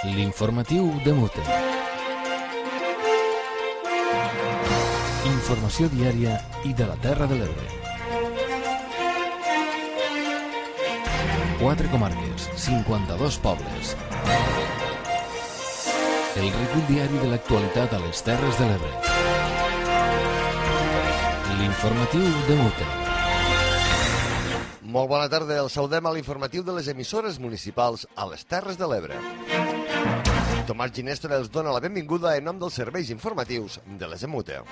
L'informatiu de Mute. Informació diària i de la Terra de l'Ebre. 4 comarques, 52 pobles. El recull diari de l'actualitat a les Terres de l'Ebre. L'informatiu de Mute. Molt bona tarda, el saludem a l'informatiu de les emissores municipals a les Terres de l'Ebre. Tomàs Ginestra els dona la benvinguda en nom dels serveis informatius de les EMUTE.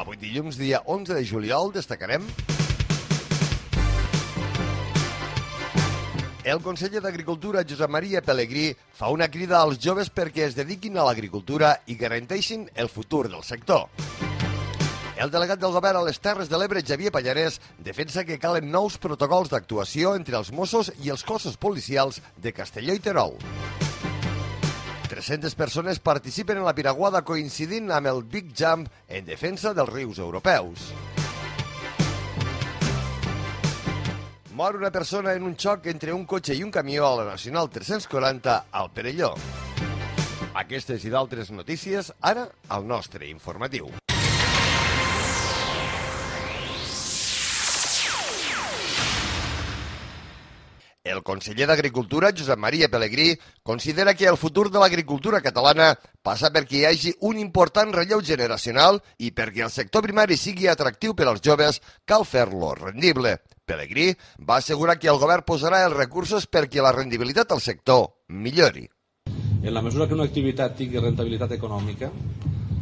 Avui dilluns, dia 11 de juliol, destacarem el conseller d'Agricultura, Josep Maria Pelegrí, fa una crida als joves perquè es dediquin a l'agricultura i garanteixin el futur del sector. El delegat del govern a les Terres de l'Ebre, Xavier Pallarès, defensa que calen nous protocols d'actuació entre els Mossos i els cossos policials de Castelló i Terol. 300 persones participen en la piraguada coincidint amb el Big Jump en defensa dels rius europeus. Mor una persona en un xoc entre un cotxe i un camió a la Nacional 340 al Perelló. Aquestes i d'altres notícies, ara al nostre informatiu. El conseller d'Agricultura, Josep Maria Pelegrí, considera que el futur de l'agricultura catalana passa perquè hi hagi un important relleu generacional i perquè el sector primari sigui atractiu per als joves, cal fer-lo rendible. Pelegrí va assegurar que el govern posarà els recursos perquè la rendibilitat del sector millori. En la mesura que una activitat tingui rentabilitat econòmica,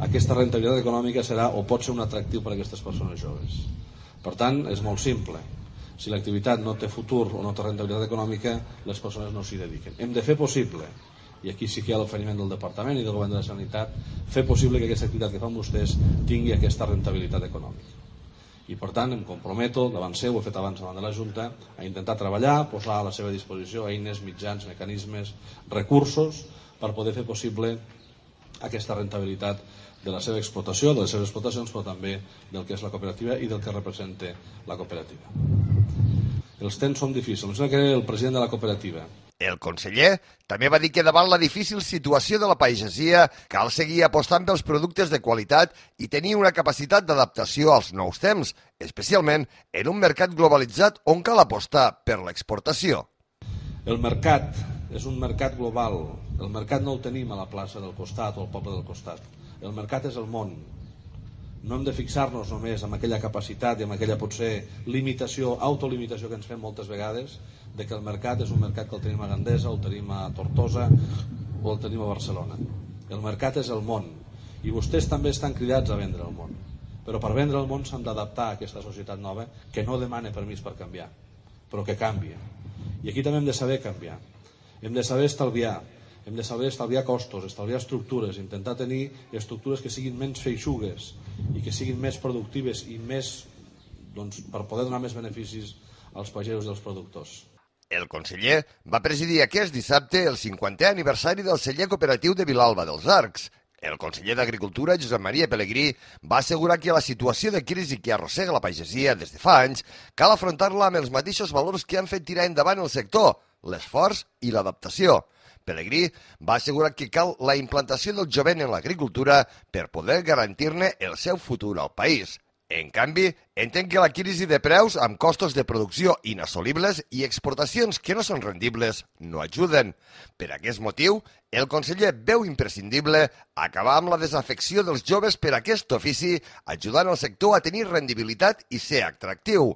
aquesta rentabilitat econòmica serà o pot ser un atractiu per a aquestes persones joves. Per tant, és molt simple. Si l'activitat no té futur o no té rentabilitat econòmica, les persones no s'hi dediquen. Hem de fer possible, i aquí sí que hi ha l'oferiment del Departament i del Govern de la Sanitat, fer possible que aquesta activitat que fan vostès tingui aquesta rentabilitat econòmica. I per tant em comprometo davant seu, ho he fet abans davant de la Junta, a intentar treballar, posar a la seva disposició eines, mitjans, mecanismes, recursos per poder fer possible aquesta rentabilitat de la seva explotació, de les seves explotacions, però també del que és la cooperativa i del que representa la cooperativa. Els temps són difícils. Em sembla que era el president de la cooperativa. El conseller també va dir que davant la difícil situació de la pagesia cal seguir apostant pels productes de qualitat i tenir una capacitat d'adaptació als nous temps, especialment en un mercat globalitzat on cal apostar per l'exportació. El mercat és un mercat global. El mercat no el tenim a la plaça del costat o al poble del costat. El mercat és el món. No hem de fixar-nos només en aquella capacitat i en aquella potser limitació, autolimitació que ens fem moltes vegades, de que el mercat és un mercat que el tenim a Gandesa, el tenim a Tortosa o el tenim a Barcelona. El mercat és el món i vostès també estan cridats a vendre el món. Però per vendre el món s'han d'adaptar a aquesta societat nova que no demana permís per canviar, però que canvia. I aquí també hem de saber canviar. Hem de saber estalviar. Hem de saber estalviar costos, estalviar estructures, intentar tenir estructures que siguin menys feixugues i que siguin més productives i més, per poder donar més beneficis als pagesos i als productors. El conseller va presidir aquest dissabte el 50è aniversari del celler cooperatiu de Vilalba dels Arcs. El conseller d'Agricultura, Josep Maria Pelegrí, va assegurar que la situació de crisi que arrossega la pagesia des de fa anys cal afrontar-la amb els mateixos valors que han fet tirar endavant el sector, l'esforç i l'adaptació. Pelegrí va assegurar que cal la implantació del jovent en l'agricultura per poder garantir-ne el seu futur al país. En canvi, entén que la crisi de preus amb costos de producció inassolibles i exportacions que no són rendibles no ajuden. Per aquest motiu, el conseller veu imprescindible acabar amb la desafecció dels joves per aquest ofici, ajudant el sector a tenir rendibilitat i ser atractiu.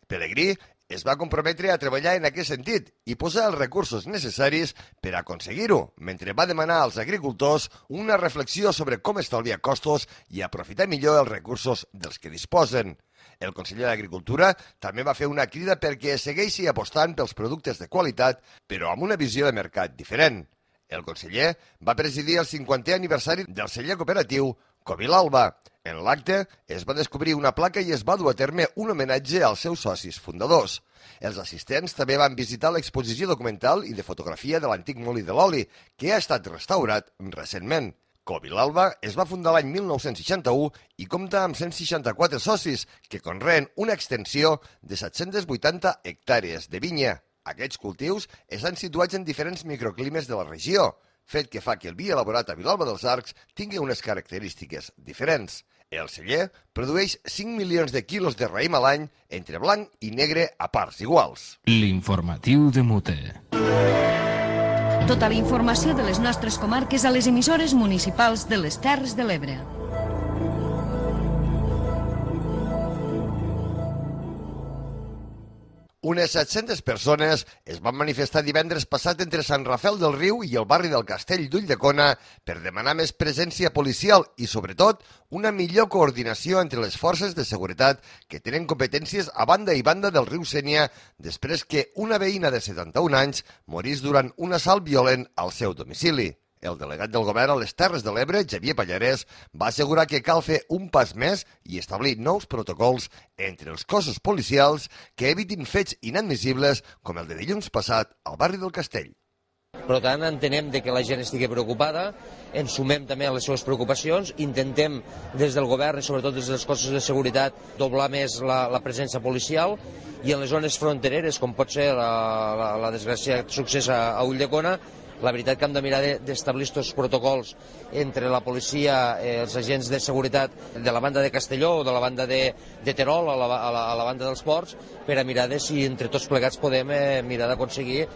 Pelegrí es va comprometre a treballar en aquest sentit i posar els recursos necessaris per aconseguir-ho, mentre va demanar als agricultors una reflexió sobre com estalviar costos i aprofitar millor els recursos dels que disposen. El conseller d'Agricultura també va fer una crida perquè segueixi apostant pels productes de qualitat, però amb una visió de mercat diferent. El conseller va presidir el 50è aniversari del celler cooperatiu Covilalba. En l'acte es va descobrir una placa i es va dur a terme un homenatge als seus socis fundadors. Els assistents també van visitar l'exposició documental i de fotografia de l'antic molí de l'oli, que ha estat restaurat recentment. Covilalba es va fundar l'any 1961 i compta amb 164 socis que conreen una extensió de 780 hectàrees de vinya. Aquests cultius estan situats en diferents microclimes de la regió, fet que fa que el vi elaborat a Vilalba dels Arcs tingui unes característiques diferents. El celler produeix 5 milions de quilos de raïm a l'any entre blanc i negre a parts iguals. L'informatiu de Mute. Tota la informació de les nostres comarques a les emissores municipals de les Terres de l'Ebre. Unes 700 persones es van manifestar divendres passat entre Sant Rafel del Riu i el barri del Castell d'Ulldecona per demanar més presència policial i, sobretot, una millor coordinació entre les forces de seguretat que tenen competències a banda i banda del riu Sénia després que una veïna de 71 anys morís durant un assalt violent al seu domicili. El delegat del govern a les Terres de l'Ebre, Xavier Pallarès, va assegurar que cal fer un pas més i establir nous protocols entre els cossos policials que evitin fets inadmissibles com el de dilluns passat al barri del Castell. Per tant, entenem que la gent estigui preocupada, ens sumem també a les seves preocupacions, intentem des del govern i sobretot des dels cossos de seguretat doblar més la presència policial i en les zones frontereres, com pot ser la desgràcia succés a Ulldecona, la veritat que hem de mirar d'establir aquests protocols entre la policia, els agents de seguretat de la banda de Castelló o de la banda de Terol, a la banda dels ports, per a mirar de si entre tots plegats podem mirar d'aconseguir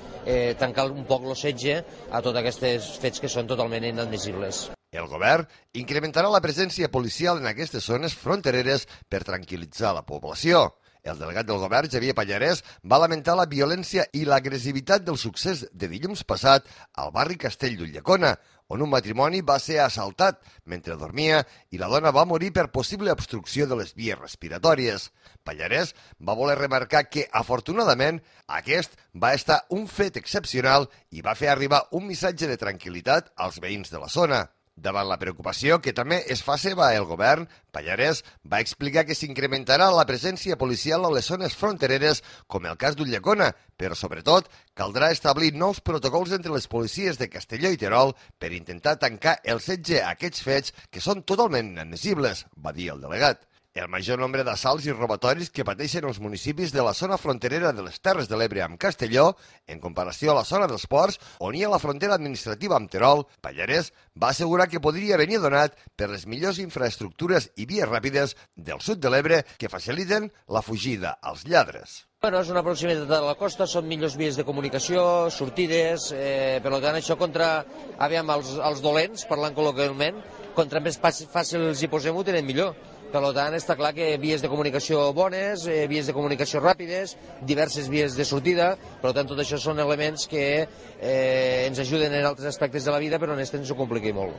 tancar un poc el setge a tots aquests fets que són totalment inadmissibles. El govern incrementarà la presència policial en aquestes zones frontereres per tranquil·litzar la població. El delegat del govern, Xavier Pallarès, va lamentar la violència i l'agressivitat del succés de dilluns passat al barri Castell d'Ulldecona, on un matrimoni va ser assaltat mentre dormia i la dona va morir per possible obstrucció de les vies respiratòries. Pallarès va voler remarcar que, afortunadament, aquest va estar un fet excepcional i va fer arribar un missatge de tranquil·litat als veïns de la zona. Davant la preocupació que també es fa seva el govern, Pallarès va explicar que s'incrementarà la presència policial a les zones frontereres, com el cas d'Ulldecona, però sobretot caldrà establir nous protocols entre les policies de Castelló i Terol per intentar tancar el setge a aquests fets que són totalment inadmissibles, va dir el delegat. El major nombre d'assalts i robatoris que pateixen els municipis de la zona fronterera de les Terres de l'Ebre amb Castelló, en comparació a la zona dels ports, on hi ha la frontera administrativa amb Terol, Pallarès va assegurar que podria venir donat per les millors infraestructures i vies ràpides del sud de l'Ebre que faciliten la fugida als lladres. Bueno, és una proximitat de la costa, són millors vies de comunicació, sortides, per tant això contra, els dolents, parlant col·loquialment, contra més fàcils hi posem ho tenen millor. Per tant, està clar que vies de comunicació bones, vies de comunicació ràpides, diverses vies de sortida, per tant, tot això són elements que ens ajuden en altres aspectes de la vida, però en aquest ens ho compliqui molt.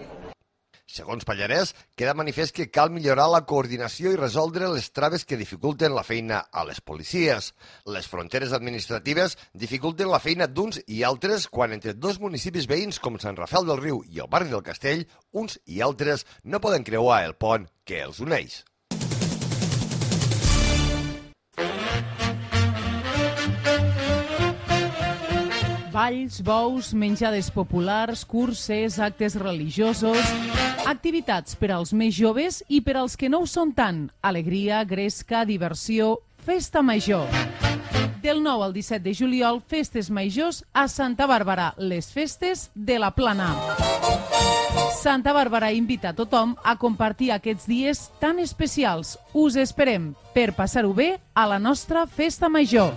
Segons Pallarès, queda manifest que cal millorar la coordinació i resoldre les traves que dificulten la feina a les policies. Les fronteres administratives dificulten la feina d'uns i altres quan entre dos municipis veïns com Sant Rafel del Riu i el barri del Castell, uns i altres no poden creuar el pont que els uneix. Balls, bous, menjades populars, curses, actes religiosos, activitats per als més joves i per als que no ho són tant. Alegria, gresca, diversió, festa major. Del 9 al 17 de juliol, festes majors a Santa Bàrbara, les festes de la Plana. Santa Bàrbara invita a tothom a compartir aquests dies tan especials. Us esperem per passar-ho bé a la nostra festa major.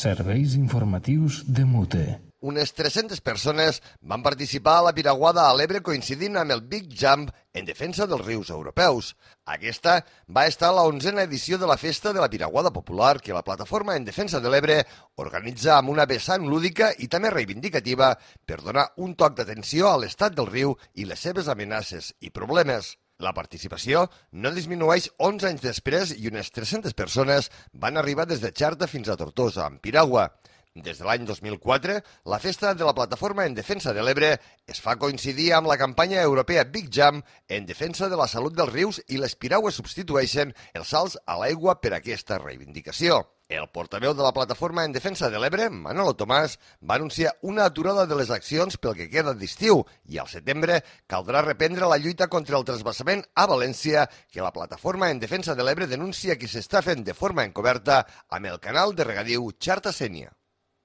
Serveis informatius de Mute. Unes 300 persones van participar a la Piraguada a l'Ebre coincidint amb el Big Jump en defensa dels rius europeus. Aquesta va estar a la 11a edició de la Festa de la Piraguada Popular que la Plataforma en Defensa de l'Ebre organitza amb una vessant lúdica i també reivindicativa per donar un toc d'atenció a l'estat del riu i les seves amenaces i problemes. La participació no disminueix 11 anys després i unes 300 persones van arribar des de Xerta fins a Tortosa, amb piragua. Des de l'any 2004, la festa de la Plataforma en Defensa de l'Ebre es fa coincidir amb la campanya europea Big Jump en defensa de la salut dels rius i les piragües substitueixen els salts a l'aigua per aquesta reivindicació. El portaveu de la Plataforma en Defensa de l'Ebre, Manolo Tomàs, va anunciar una aturada de les accions pel que queda d'estiu i al setembre caldrà reprendre la lluita contra el transvasament a València que la Plataforma en Defensa de l'Ebre denuncia que s'està fent de forma encoberta amb el canal de regadiu Xarta-Sénia.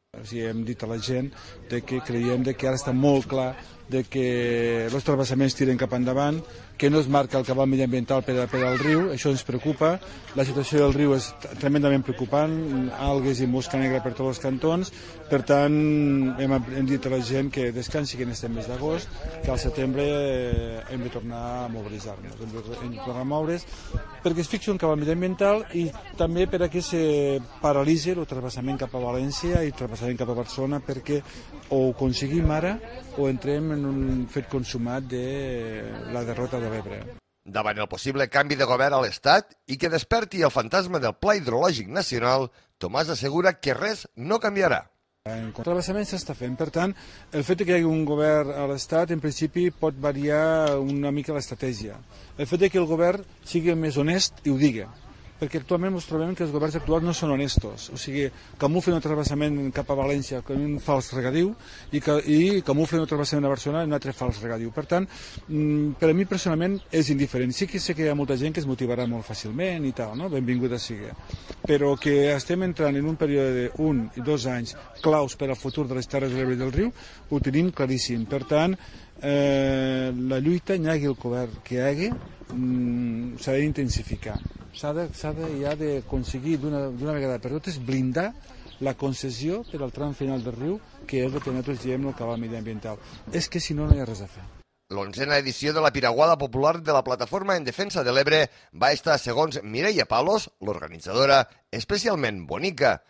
Hem dit a la gent que creiem que ara està molt clar que els transvasaments tiren cap endavant, que no es marca el cabal mediambiental per al riu, això ens preocupa. La situació del riu és tremendament preocupant, algues i mosca negra per tots els cantons, per tant hem dit a la gent que descansi que en este mes d'agost, que al setembre hem de tornar a mobilitzar-nos, hem de tornar a moure's, perquè es fixi un cabal mediambiental i també perquè se paralitzi el transvasament cap a València i el transvasament cap a Barcelona, perquè o ho aconseguim ara o entrem en un fet consumat de la derrota de l'Ebre. Davant el possible canvi de govern a l'Estat i que desperti el fantasma del Pla Hidrològic Nacional, Tomàs assegura que res no canviarà. En transvasament s'està fent, per tant, el fet que hi hagi un govern a l'Estat, en principi, pot variar una mica l'estratègia. El fet que el govern sigui més honest i ho digui, perquè actualment ens trobem que els governs actuals no són honestos, o sigui, camuflen el transvasament cap a València com un fals regadiu i camuflen el transvasament a Barcelona en un altre fals regadiu. Per tant, per a mi personalment és indiferent. Sí que sé que hi ha molta gent que es motivarà molt fàcilment i tal, no? Benvinguda sigui. Però que estem entrant en un període d'1 i 2 anys claus per al futur de les Terres de l'Ebre i del riu, ho tenim claríssim. Per tant, la lluita, hi hagi el govern que hi hagi, s'ha d'intensificar. S'ha d'aconseguir d'una vegada per totes blindar la concessió per al tram final del riu, que és el que nosaltres diem el cabal mediambiental. És que si no, no hi ha res a fer. L'11a edició de la Piraguada Popular de la Plataforma en Defensa de l'Ebre va estar, segons Mireia Palos, l'organitzadora, especialment bonica.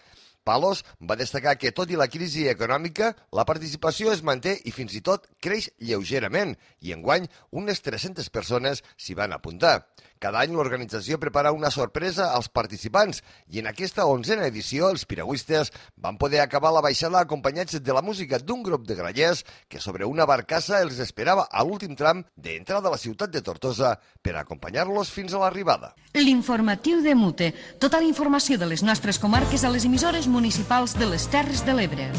Palos va destacar que, tot i la crisi econòmica, la participació es manté i fins i tot creix lleugerament i enguany unes 300 persones s'hi van apuntar. Cada any l'organització prepara una sorpresa als participants i en aquesta 11a edició els piragüistes van poder acabar la baixada acompanyats de la música d'un grup de grallers que sobre una barcassa els esperava a l'últim tram d'entrada a la ciutat de Tortosa per acompanyar-los fins a l'arribada. L'informatiu de Mute. Tota la informació de les nostres comarques a les emissores municipals de les Terres de l'Ebre.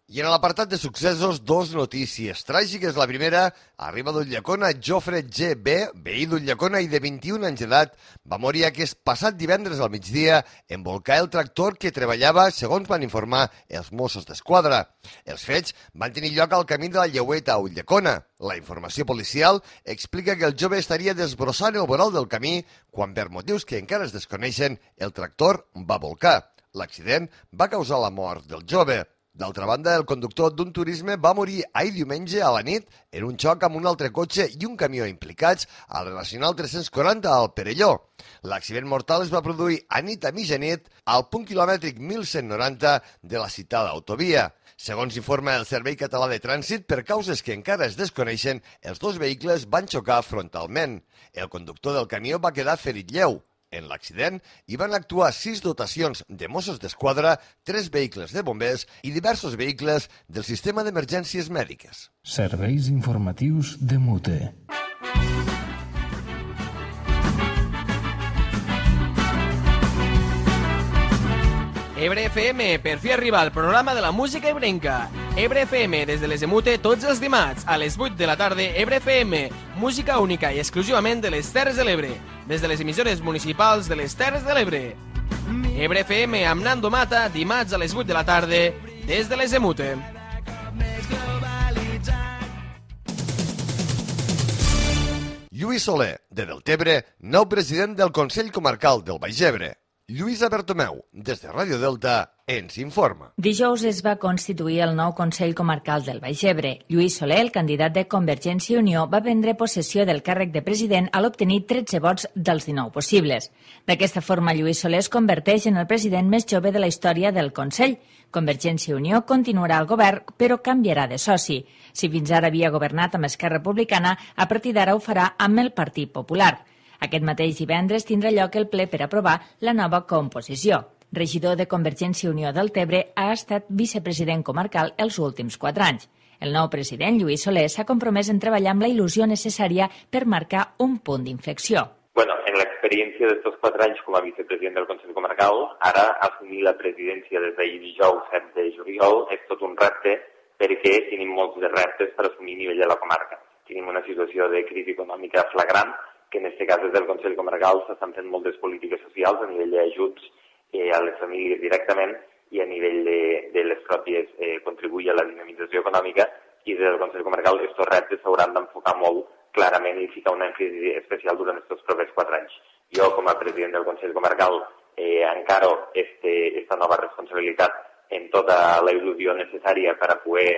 I en l'apartat de successos, dos notícies tràgiques. La primera, arriba d'Ulldecona, Jofre G.B., veí d'Ulldecona i de 21 anys d'edat, va morir aquest passat divendres al migdia en volcar el tractor que treballava, segons van informar els Mossos d'Esquadra. Els fets van tenir lloc al camí de la Lleueta a Ulldecona. La informació policial explica que el jove estaria desbrossant el vorol del camí quan, per motius que encara es desconeixen, el tractor va volcar. L'accident va causar la mort del jove. D'altra banda, el conductor d'un turisme va morir ahir diumenge a la nit en un xoc amb un altre cotxe i un camió implicats a la Nacional 340 al Perelló. L'accident mortal es va produir a mitjanit al punt quilomètric 1190 de la citada autovia. Segons informa el Servei Català de Trànsit, per causes que encara es desconeixen, els dos vehicles van xocar frontalment. El conductor del camió va quedar ferit lleu. En l'accident hi van actuar 6 dotacions de Mossos d'Esquadra, 3 vehicles de bombers i diversos vehicles del sistema d'emergències mèdiques. Serveis informatius de Mute. Ebre FM, per fi arriba al programa de la música ebrenca. Ebre FM, des de les de Mute, tots els dimarts, a les 8 de la tarda, Ebre FM, música única i exclusivament de les Terres de l'Ebre, des de les emissores municipals de les Terres de l'Ebre. Ebre FM amb Nando Mata, dimarts a les 8 de la tarda, des de les de Mute. Lluís Soler, de Deltebre, nou president del Consell Comarcal del Baix Ebre. Lluïsa Bertomeu, des de Ràdio Delta, ens informa. Dijous es va constituir el nou Consell Comarcal del Baix Ebre. Lluís Soler, el candidat de Convergència i Unió, va prendre possessió del càrrec de president a l'obtenir 13 vots dels 19 possibles. D'aquesta forma, Lluís Soler es converteix en el president més jove de la història del Consell. Convergència i Unió continuarà al govern, però canviarà de soci. Si fins ara havia governat amb Esquerra Republicana, a partir d'ara ho farà amb el Partit Popular. Aquest mateix divendres tindrà lloc el ple per aprovar la nova composició. Regidor de Convergència i Unió del Tebre, ha estat vicepresident comarcal els últims 4 anys. El nou president, Lluís Soler, s'ha compromès en treballar amb la il·lusió necessària per marcar un punt d'inflexió. Bueno, en la experiencia de estos 4 años como vicepresidente del Consell Comarcal, ara assumir la presidència des d'ahir dijous 7 de juliol és tot un repte perquè tenim molts de reptes per assumir a nivell de la comarca. Tenim una situació de crisi econòmica flagrant, que en aquest cas des del Consell Comarcal s'estan fent moltes polítiques socials a nivell d'ajuts a les famílies directament i a nivell de les pròpies contribuir a la dinamització econòmica, i des del Consell Comarcal aquests reptes s'hauran d'enfocar molt clarament i ficar una èmfasi especial durant aquests propers 4 anys. Jo, com a president del Consell Comarcal, encaro esta nova responsabilitat en tota la il·lusió necessària per a poder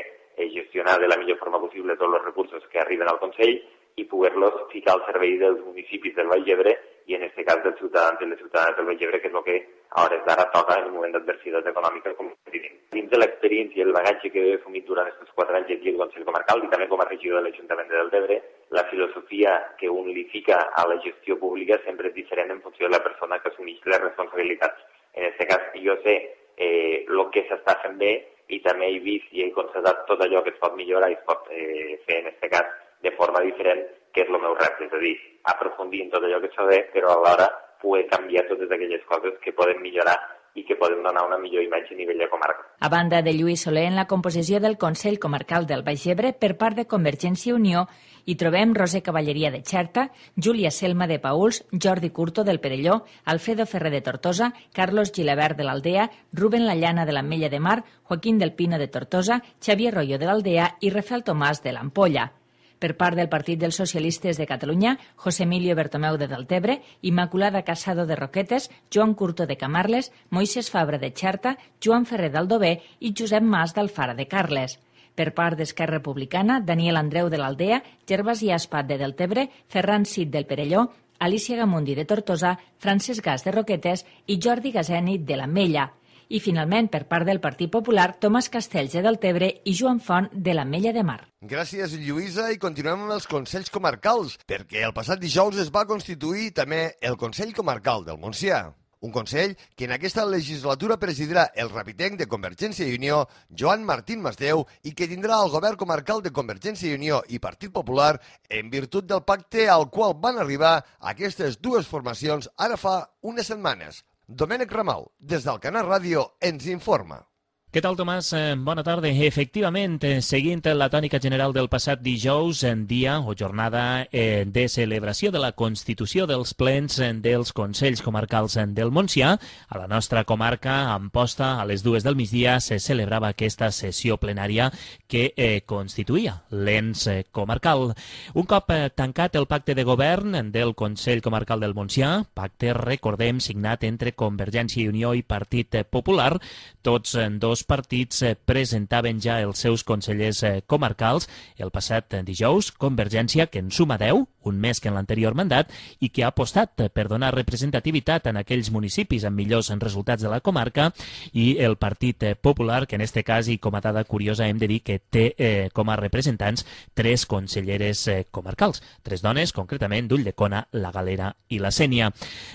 gestionar de la millor forma possible tots els recursos que arriben al Consell i poder-los ficar al servei dels municipis del Baix Ebre i en aquest cas dels ciutadans i les ciutadanes del Baix Ebre, que és el que a hores d'ara toca en un moment d'adversitat econòmica com vivim. Dins de l'experiència i el bagatge que he assumit durant aquests 4 anys aquí al Consell Comarcal i també com a regidor de l'Ajuntament de Deltebre, la filosofia que un li fica a la gestió pública sempre és diferent en funció de la persona que assumeix les responsabilitats. En aquest cas, jo sé el que s'està fent bé i també he vist i he constatat tot allò que es pot millorar i es pot fer, en aquest cas, de forma diferent, que és el meu repte, és a dir, aprofundir en tot allò que s'ha de, però alhora poder canviar totes aquelles coses que poden millorar i que poden donar una millor imatge a nivell de comarca. A banda de Lluís Soler, en la composició del Consell Comarcal del Baix Ebre, per part de Convergència i Unió, hi trobem Roser Cavalleria de Xerta, Júlia Selma de Pauls, Jordi Curto del Perelló, Alfredo Ferrer de Tortosa, Carlos Gilabert de l'Aldea, Rubén Lallana de l'Ametlla de Mar, Joaquín del Pino de Tortosa, Xavier Royo de l'Aldea i Rafael Tomàs de l'Ampolla. Per part del Partit dels Socialistes de Catalunya, José Emilio Bertomeu de Deltebre, Immaculada Casado de Roquetes, Joan Curto de Camarles, Moisés Fabra de Xerta, Joan Ferrer d'Aldover i Josep Mas d'Alfara de Carles. Per part d'Esquerra Republicana, Daniel Andreu de l'Aldea, Gervasi Aspat de Deltebre, Ferran Cid del Perelló, Alicia Gamundi de Tortosa, Francesc Gas de Roquetes i Jordi Gaseni de l'Ametlla. I, finalment, per part del Partit Popular, Tomàs Castells de Deltebre i Joan Font de l'Ametlla de Mar. Gràcies, Lluïsa, i continuem amb els Consells Comarcals, perquè el passat dijous es va constituir també el Consell Comarcal del Montsià. Un Consell que en aquesta legislatura presidirà el rapitenc de Convergència i Unió, Joan Martín Masdeu, i que tindrà el govern comarcal de Convergència i Unió i Partit Popular en virtut del pacte al qual van arribar aquestes dues formacions ara fa unes setmanes. Domènec Ramal, des del Canal Ràdio, ens informa. Què tal, Tomàs? Bona tarda. Efectivament, seguint la tònica general del passat dijous, dia o jornada de celebració de la constitució dels plens dels Consells Comarcals del Montsià, a la nostra comarca, a Amposta, a les 2 del migdia, se celebrava aquesta sessió plenària que constituïa l'ens comarcal. Un cop tancat el pacte de govern del Consell Comarcal del Montsià, pacte, recordem, signat entre Convergència i Unió i Partit Popular, tots dos partits presentaven ja els seus consellers comarcals. El passat dijous, Convergència, que en suma 10, un més que en l'anterior mandat, i que ha apostat per donar representativitat en aquells municipis amb millors resultats de la comarca, i el Partit Popular, que en este cas, i com a dada curiosa, hem de dir que té com a representants 3 conselleres comarcals, 3 dones, concretament d'Ulldecona, la Galera i la Sénia.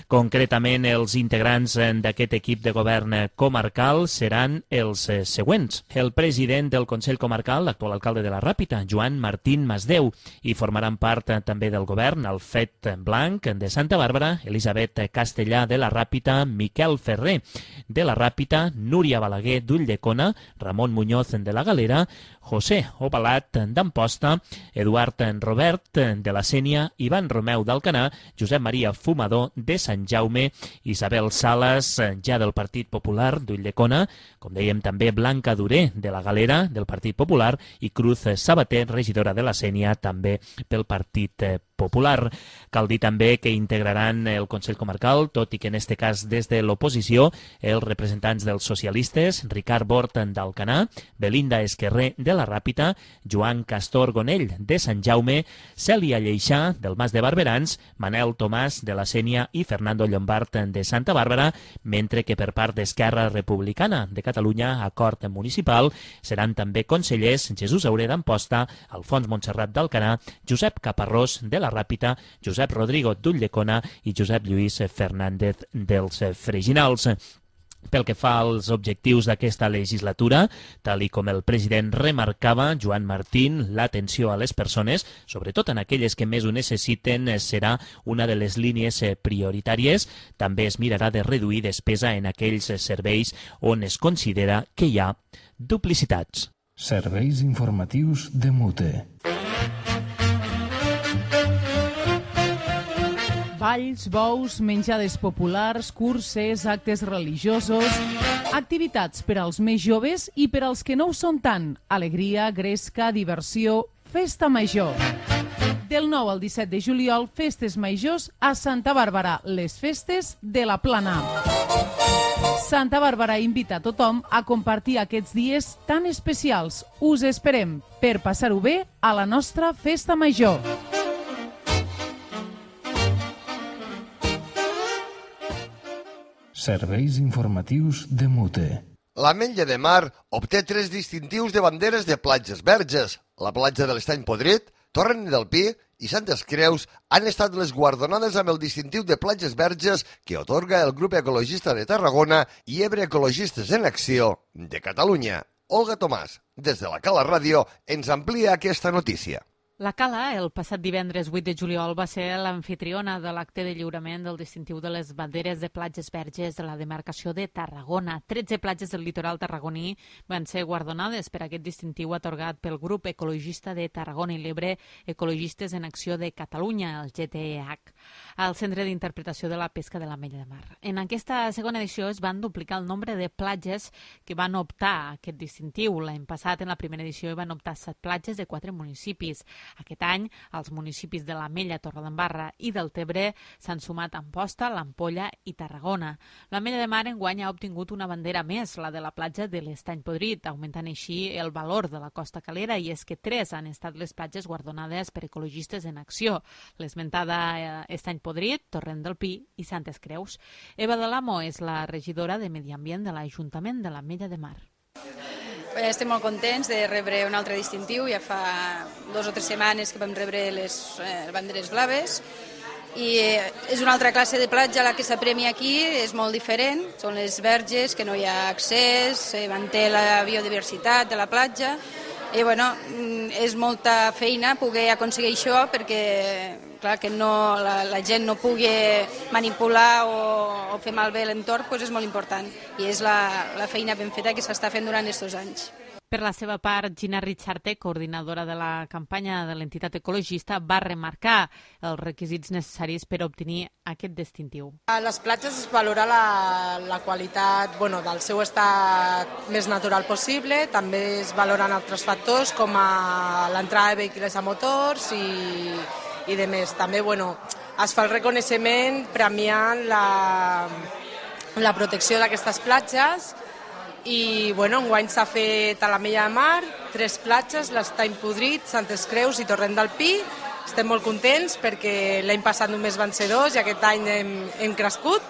Concretament, els integrants d'aquest equip de govern comarcal seran els següents. El president del Consell Comarcal, l'actual alcalde de la Ràpita, Joan Martín Masdeu, i formaran part també del govern Alfred Blanc de Santa Bàrbara, Elisabet Castellà de la Ràpita, Miquel Ferrer de la Ràpita, Núria Balaguer d'Ulldecona, Ramon Muñoz de la Galera, José Obalat d'Amposta, Eduard Robert de la Sénia, Ivan Romeu d'Alcanar, Josep Maria Fumador de Sant Jaume, Isabel Salas, ja del Partit Popular d'Ulldecona, com dèiem també Blanca Duré de la Galera del Partit Popular i Cruz Sabater, regidora de la Sénia, també pel Partit Popular. Cal dir també que integraran el Consell Comarcal, tot i que en este cas des de l'oposició, els representants dels socialistes, Ricard Bort d'Alcanar, Belinda Esquerrer de la Ràpita, Joan Castor Gonell de Sant Jaume, Cèlia Lleixà del Mas de Barberans, Manel Tomàs de la Sénia i Fernando Llombart de Santa Bàrbara, mentre que per part d'Esquerra Republicana de Catalunya, Acord Municipal, seran també consellers Jesús Auré d'Amposta, Alfons Montserrat d'Alcanar, Josep Caparrós de la la Ràpita, Josep Rodrigo d'Ulldecona i Josep Lluís Fernández dels Freginals. Pel que fa als objectius d'aquesta legislatura, tal i com el president remarcava, Joan Martín, l'atenció a les persones, sobretot en aquelles que més ho necessiten, serà una de les línies prioritàries. També es mirarà de reduir despesa en aquells serveis on es considera que hi ha duplicitats. Serveis informatius de Mute. Balls, bous, menjades populars, curses, actes religiosos, activitats per als més joves i per als que no ho són tant. Alegria, gresca, diversió, festa major. Del 9 al 17 de juliol, festes majors a Santa Bàrbara, les festes de la Plana. Santa Bàrbara invita a tothom a compartir aquests dies tan especials. Us esperem per passar-ho bé a la nostra festa major. Serveis informatius de Mute. L'Ametlla de Mar obté 3 distintius de banderes de platges verges. La platja de l'Estany Podrit, Torrent del Pi i Santes Creus han estat les guardonades amb el distintiu de platges verges que otorga el Grup Ecologista de Tarragona i Ebre Ecologistes en Acció de Catalunya. Olga Tomàs, des de la Cala Ràdio, ens amplia aquesta notícia. La Cala, el passat divendres 8 de juliol, va ser l'amfitriona de l'acte de lliurament del distintiu de les banderes de platges verges de la demarcació de Tarragona. 13 platges del litoral tarragoní van ser guardonades per aquest distintiu atorgat pel Grup Ecologista de Tarragona i l'Ebre Ecologistes en Acció de Catalunya, el GTEH, al Centre d'Interpretació de la Pesca de l'Ametlla de Mar. En aquesta segona edició es van duplicar el nombre de platges que van optar a aquest distintiu. L'any passat, en la primera edició, hi van optar 7 platges de 4 municipis. Aquest any, els municipis de l'Ametlla, Torredembarra i del Tebre s'han sumat Amposta, l'Ampolla i Tarragona. L'Ametlla de Mar enguany ha obtingut una bandera més, la de la platja de l'Estany Podrit, augmentant així el valor de la costa calera, i és que 3 han estat les platges guardonades per Ecologistes en Acció, l'esmentada Estany Podrit, Torrent del Pi i Santes Creus. Eva de l'Amo és la regidora de Medi Ambient de l'Ajuntament de l'Ametlla de Mar. Estem molt contents de rebre un altre distintiu. Ja fa 2 o 3 setmanes que vam rebre les banderes blaves i és una altra classe de platja la que s'apremia aquí, és molt diferent. Són les verges, que no hi ha accés, manté la biodiversitat de la platja i bueno, és molta feina poder aconseguir això perquè clar, que no, la gent no pugui manipular o fer malbé l'entorn, doncs és molt important i és la feina ben feta que s'està fent durant aquests anys. Per la seva part, Gina Richarte, coordinadora de la campanya de l'entitat ecologista, va remarcar els requisits necessaris per obtenir aquest distintiu. A les platges es valora la qualitat del seu estat més natural possible, també es valoren altres factors com l'entrada de vehicles a motors i de més. També es fa el reconeixement premiant la protecció d'aquestes platges i enguany s'ha fet a l'Ametlla de Mar 3 platges, l'Estany Podrit, Santes Creus i Torrent del Pi. Estem molt contents perquè l'any passat només van ser 2 i aquest any hem crescut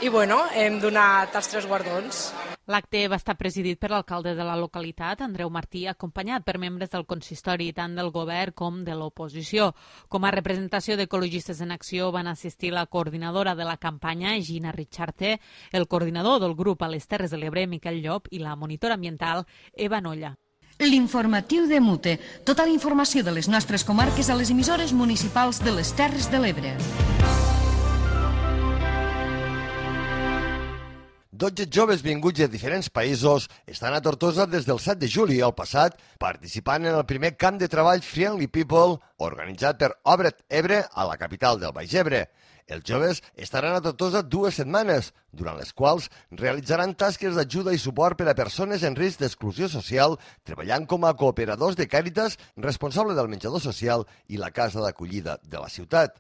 i hem donat els 3 guardons. L'acte va estar presidit per l'alcalde de la localitat, Andreu Martí, acompanyat per membres del consistori, tant del govern com de l'oposició. Com a representació d'Ecologistes en Acció van assistir la coordinadora de la campanya, Gina Richarte, el coordinador del grup a les Terres de l'Ebre, Miquel Llop, i la monitora ambiental, Eva Nolla. L'informatiu de Mute. Tota la informació de les nostres comarques a les emissores municipals de les Terres de l'Ebre. 12 joves vinguts de diferents països estan a Tortosa des del 7 de juliol passat participant en el primer camp de treball Friendly People organitzat per Obret Ebre a la capital del Baix Ebre. Els joves estaran a Tortosa 2 setmanes, durant les quals realitzaran tasques d'ajuda i suport per a persones en risc d'exclusió social, treballant com a cooperadors de Càritas, responsable del menjador social i la casa d'acollida de la ciutat.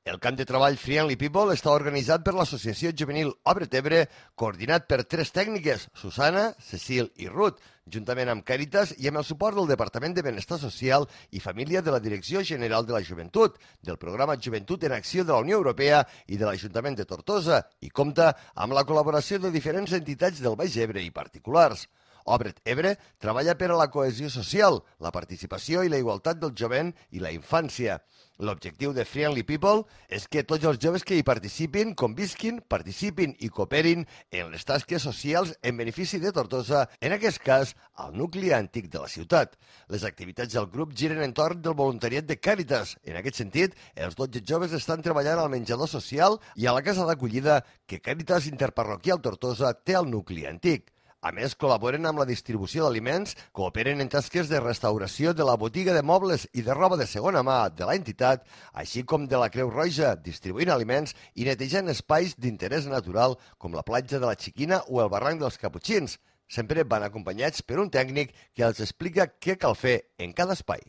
El camp de treball Friendly People està organitzat per l'Associació Juvenil Obret Ebre, coordinat per 3 tècniques, Susana, Cecil i Ruth, juntament amb Càritas i amb el suport del Departament de Benestar Social i Família de la Direcció General de la Joventut, del Programa Joventut en Acció de la Unió Europea i de l'Ajuntament de Tortosa, i compta amb la col·laboració de diferents entitats del Baix Ebre i particulars. Obret Ebre treballa per a la cohesió social, la participació i la igualtat del jovent i la infància. L'objectiu de Friendly People és que tots els joves que hi participin, convisquin, participin i cooperin en les tasques socials en benefici de Tortosa, en aquest cas, al nucli antic de la ciutat. Les activitats del grup giren entorn del voluntariat de Càritas. En aquest sentit, els 12 joves estan treballant al menjador social i a la casa d'acollida que Càritas Interparroquial Tortosa té al nucli antic. A més, col·laboren amb la distribució d'aliments, cooperen en tasques de restauració de la botiga de mobles i de roba de segona mà de l'entitat, així com de la Creu Roja, distribuint aliments i netejant espais d'interès natural com la platja de la Xiquina o el barranc dels Caputxins. Sempre van acompanyats per un tècnic que els explica què cal fer en cada espai.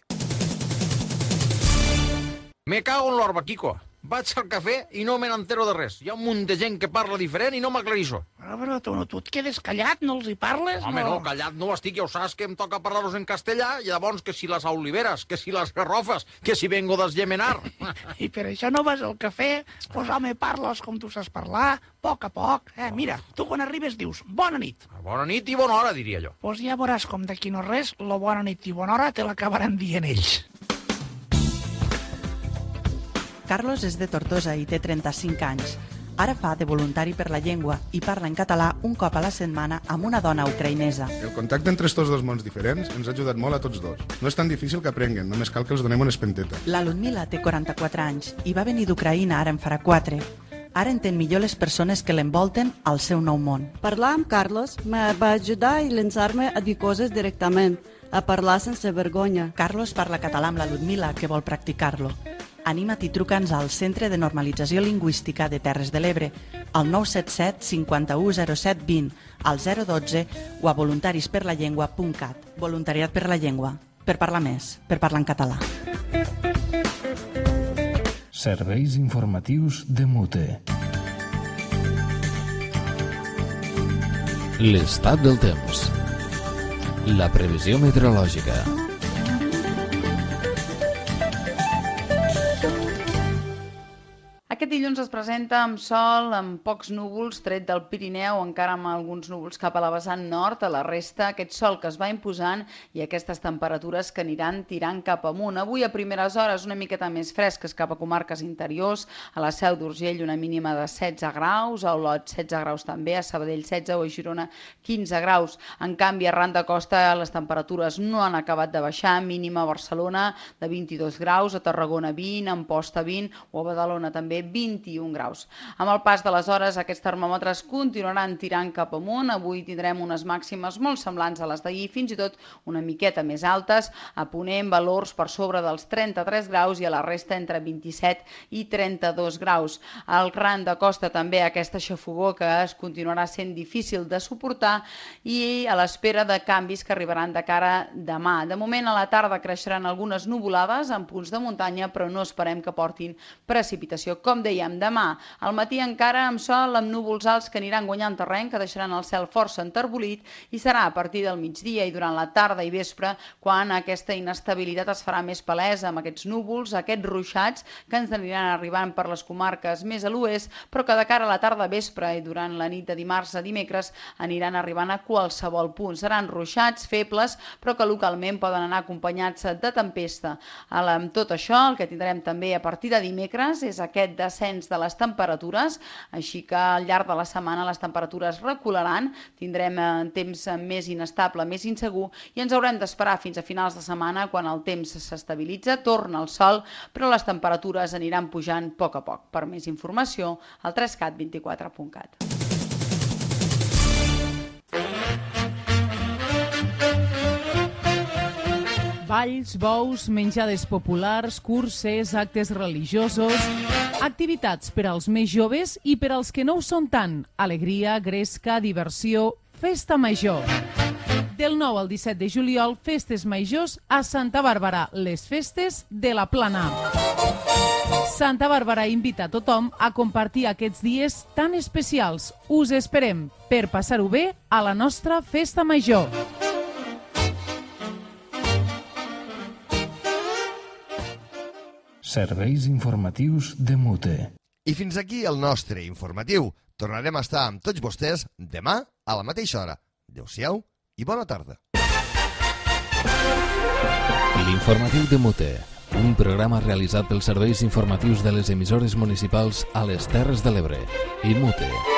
Me cago en l'orba, Kiko. Vaig al cafè i no me n'entero de res. Hi ha un munt de gent que parla diferent i no m'aclarisco. Però tu et quedes callat, no els hi parles? Home, no, callat no estic, ja ho saps que em toca parlar-los en castellà, i llavors que si les oliveres, que si les garrofes, que si vengo d'Esgemenar. I per això no vas al cafè? Pues home, parles com tu saps parlar, a poc. Mira, tu quan arribes dius bona nit. Bona nit i bona hora, diria jo. Pues ja veuràs com d'aquí no res, la bona nit i bona hora te l'acabaran dient ells. Carlos és de Tortosa i té 35 anys. Ara fa de voluntari per la llengua i parla en català un cop a la setmana amb una dona ucraïnesa. El contacte entre estos dos mons diferents ens ha ajudat molt a tots dos. No és tan difícil que aprenguen, només cal que els donem una espenteta. La Ludmila té 44 anys i va venir d'Ucraïna ara en farà 4. Ara entén millor les persones que l'envolten al seu nou món. Parlar amb Carlos me va ajudar a llançar-me a dir coses directament, a parlar sense vergonya. Carlos parla català amb la Ludmila, que vol practicar-lo. Anima't i truca'ns al Centre de Normalització Lingüística de Terres de l'Ebre, al 977 51 07 20, al 012 o a voluntarisperlallengua.cat. Voluntariat per la llengua. Per parlar més, per parlar en català. Serveis informatius de Mute. L'estat del temps. La previsió meteorològica. Aquest dilluns es presenta amb sol, amb pocs núvols, tret del Pirineu, encara amb alguns núvols cap a la vessant nord. A la resta, aquest sol que es va imposant i aquestes temperatures que aniran tirant cap amunt. Avui, a primeres hores, una miqueta més fresques cap a comarques interiors. A la Seu d'Urgell, una mínima de 16 graus, a Olot, 16 graus també, a Sabadell, 16 o a Girona, 15 graus. En canvi, arran de costa, les temperatures no han acabat de baixar. Mínima a Barcelona de 22 graus, a Tarragona 20, a Amposta 20 o a Badalona també 21 graus. Amb el pas de les hores, aquests termòmetres continuaran tirant cap amunt. Avui tindrem unes màximes molt semblants a les d'ahir, fins i tot una miqueta més altes. A Ponent, valors per sobre dels 33 graus i a la resta entre 27 i 32 graus. Al ran de costa també aquesta xafogor que es continuarà sent difícil de suportar i a l'espera de canvis que arribaran de cara demà. De moment, a la tarda creixeran algunes nuvolades en punts de muntanya, però no esperem que portin precipitació. Com dèiem, demà, al matí encara amb sol, amb núvols alts que aniran guanyant terreny, que deixaran el cel força enterbolit, i serà a partir del migdia i durant la tarda i vespre quan aquesta inestabilitat es farà més palesa amb aquests núvols, aquests ruixats que ens aniran arribant per les comarques més a l'oest, però que de cara a la tarda vespre i durant la nit de dimarts a dimecres aniran arribant a qualsevol punt. Seran ruixats febles, però que localment poden anar acompanyats de tempesta. Amb tot això, el que tindrem també a partir de dimecres és aquest descens de les temperatures, així que al llarg de la setmana les temperatures recularan, tindrem temps més inestable, més insegur, i ens haurem d'esperar fins a finals de setmana quan el temps s'estabilitza, torna el sol, però les temperatures aniran pujant a poc. Per més informació, al 3cat24.cat. Balls, bous, menjades populars, curses, actes religiosos, activitats per als més joves i per als que no ho són tant. Alegria, gresca, diversió, festa major. Del 9 al 17 de juliol, festes majors a Santa Bàrbara, les festes de la Plana. Santa Bàrbara invita a tothom a compartir aquests dies tan especials. Us esperem per passar-ho bé a la nostra festa major. Serveis informatius de Mute. I fins aquí el nostre informatiu. Tornarem a estar amb tots vostès demà a la mateixa hora. Adéu-siau i bona tarda. L'informatiu de Mute, un programa realitzat pels serveis informatius de les emissores municipals a les Terres de l'Ebre i Mute.